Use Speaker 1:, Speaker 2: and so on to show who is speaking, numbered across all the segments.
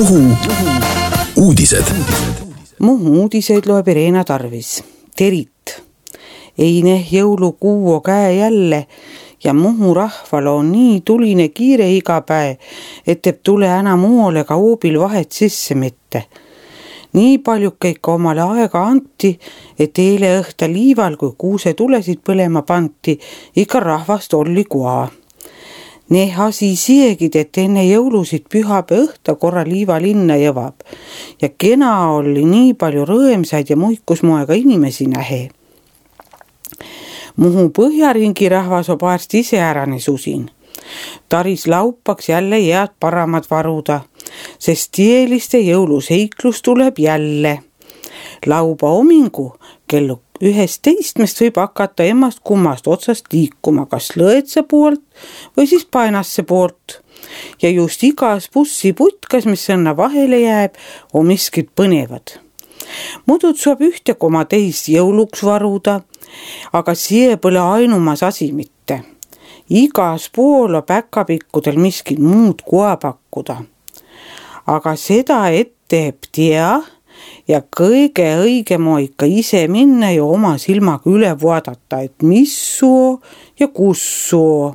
Speaker 1: Muhu uudised.
Speaker 2: Muhu uudiseid loeb Irena Tarvis. Terit. Eine jõulukuu käe jälle ja Muhu rahval on nii tuline kiire iga päev, et teeb tule enam muole ka hoobil vahet sisse mitte. Nii palju kõik omale aega anti, et eile õhta liival, kui kuuse tulesid põlema panti, ikka rahvast oli kua. Ne hasi siegid, et enne jõulusid pühapäeva õhta korra liiva linna jõvab ja kena oli nii palju rõõmsaid ja muikusmoega inimesi nähe. Muhu põhjaringi rahvas on paarst ise ärane susin. Taris laupaks jälle head paramad varuda, sest tieliste jõuluseiklus tuleb jälle. Lauba omingu kellu 11 võib hakata emmast kummast otsast liikuma, kas Lõõtsa poolt või siis Painasse poolt. Ja just igas bussiputkas, mis sõnna vahele jääb, on miskid põnevad. Mudud saab 1,2 jõuluks varuda, aga see pole ainumas asi mitte. Igas pool on päkapikkudel miskid muud koa pakkuda. Aga seda teeb tea ja kõige õigem on ikka ise minna ja oma silmaga üle vaadata, et mis soo ja kus soo.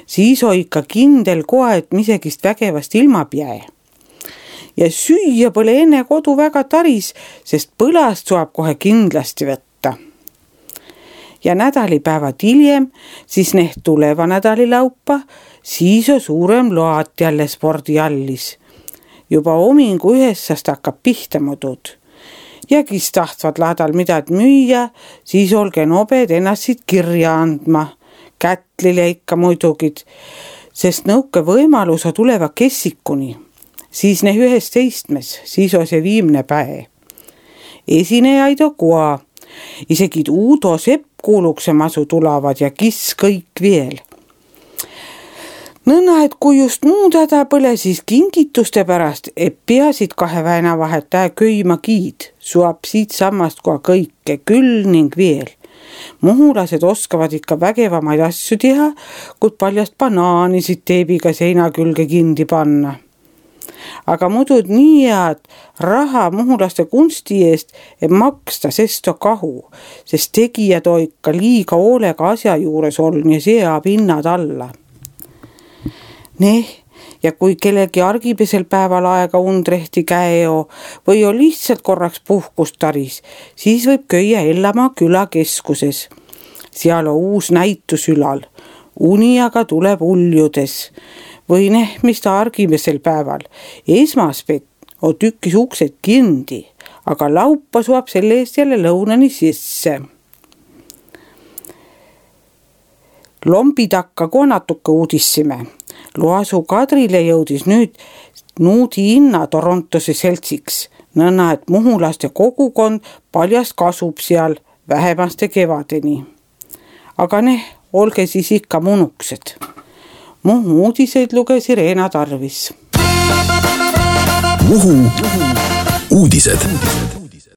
Speaker 2: Siis on ikka kindel koha, et misegist vägevast ilma pää. Ja süüa pole enne kodu väga taris, sest põlast saab kohe kindlasti võtta. Ja nädalipäevad hiljem, siis tuleva nädali laupa, siis on suurem loat jälle spordiallis. Juba omingu 9 hakkab pihta mudud. Ja kes tahtvad laadal midagi müüa, siis olge nobed ennast siit kirja andma. Kätlile ikka muidugid, sest nõuke võimalus on tuleva kessikuni. Siis 11, siis on see viimne päev. Esinejaid on koa. Isegi Uudo Sepp kuulukse masu tulevad ja kis kõik veel. Nõnna, et kui just muud häda põle, siis kingituste pärast, et peasid 2 väina vahet köima kiid, suab siit sammast koha kõike küll ning veel. Muhulased oskavad ikka vägevamaid asju teha, kui paljast banaanisid teebiga seina külge kindi panna. Aga mudud nii head raha muhulaste kunsti eest, et maksta sesto kahu, sest tegijad on ikka liiga hoolega asja juures olnud ja seab hinnad alla. Ja kui kellegi argipesel päeval aega undrehti käeo või on lihtsalt korraks puhkust taris, siis võib köia Ellamaa külakeskuses. Seal on uus näitus ülal. Uni aga tuleb uljudes. Või mis ta argipesel päeval. Esmaspäev on tükkis uksed kindi, aga laupa suab selle eest jälle lõunani sisse. Lombidakka kui natuke uudissime. Loasu Kadrile jõudis nüüd Nuudi hinna Torontose seltsiks, nõnna, et muhulaste kogukond paljast kasub seal vähemaste kevadeni. Aga olge siis ikka munuksed. Muhu uudiseid luges Irena Tarvis.
Speaker 1: Muhu uudised.